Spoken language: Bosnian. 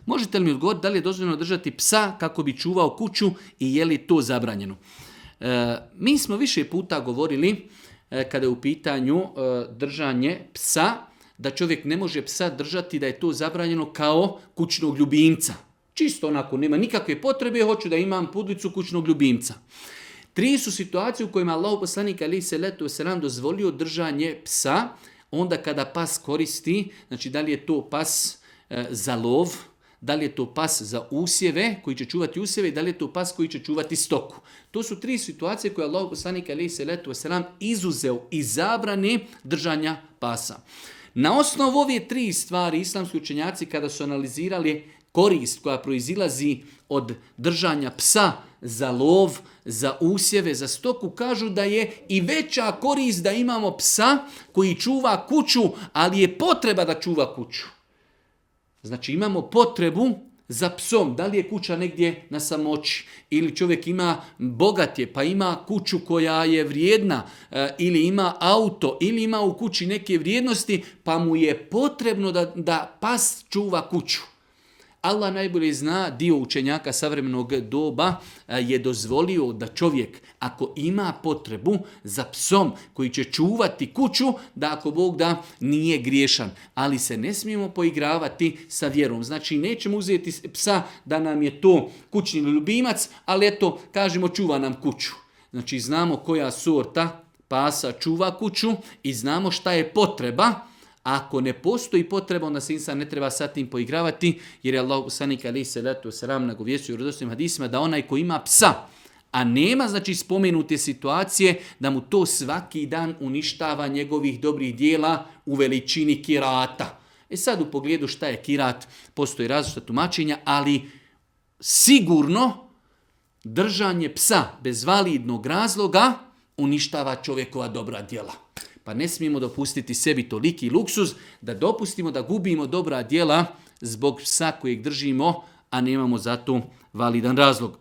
Možete li mi odgovoriti da li je dozvoljeno držati psa kako bi čuvao kuću i je li to zabranjeno? Mi smo više puta govorili kada je u pitanju držanje psa, da čovjek ne može psa držati, da je to zabranjeno kao kućnog ljubimca. Čisto onako, nema nikakve potrebe, hoću da imam pudlicu kućnog ljubimca. 3 su situacije u kojima Allahov poslanik alejhi selatu vesselam dozvolio držanje psa, onda kada pas koristi, znači da li je to pas za lov, da li je to pas za usjeve, koji će čuvati usjeve, i da li je to pas koji će čuvati stoku. To su 3 situacije koje Allahov poslanik alejhi selatu vesselam izuzeo iz zabrane držanja pasa. Na osnovu ove 3 stvari islamski učenjaci kada su analizirali korist koja proizilazi od držanja psa za lov, za usjeve, za stoku, kažu da je i veća korist da imamo psa koji čuva kuću, ali je potreba da čuva kuću. Znači imamo potrebu za psom, da li je kuća negdje na samoći, ili čovjek ima bogat je, pa ima kuću koja je vrijedna, ili ima auto, ili ima u kući neke vrijednosti, pa mu je potrebno da pas čuva kuću. Allah najbolje zna, dio učenjaka savremenog doba je dozvolio da čovjek, ako ima potrebu za psom koji će čuvati kuću, da ako Bog da nije griješan. Ali se ne smijemo poigravati sa vjerom. Znači nećemo uzeti psa da nam je to kućni ljubimac, ali eto, kažemo čuva nam kuću. Znači znamo koja sorta pasa čuva kuću i znamo šta je potreba. Ako ne postoji potreba, onda se insan ne treba sa tim poigravati, jer je Allah poslanik alejhi selatu vesselam nagovijestio u vjerodostojnim hadisima da onaj ko ima psa, a nema znači spomenute situacije da mu to svaki dan uništava njegovih dobrih dijela u veličini kirata. Sad u pogledu šta je kirat, postoji različita tumačenja, ali sigurno držanje psa bez validnog razloga uništava čovjekova dobra djela. Pa ne smijemo dopustiti sebi toliki luksuz da dopustimo da gubimo dobra djela zbog psa kojeg držimo, a nemamo za to validan razlog.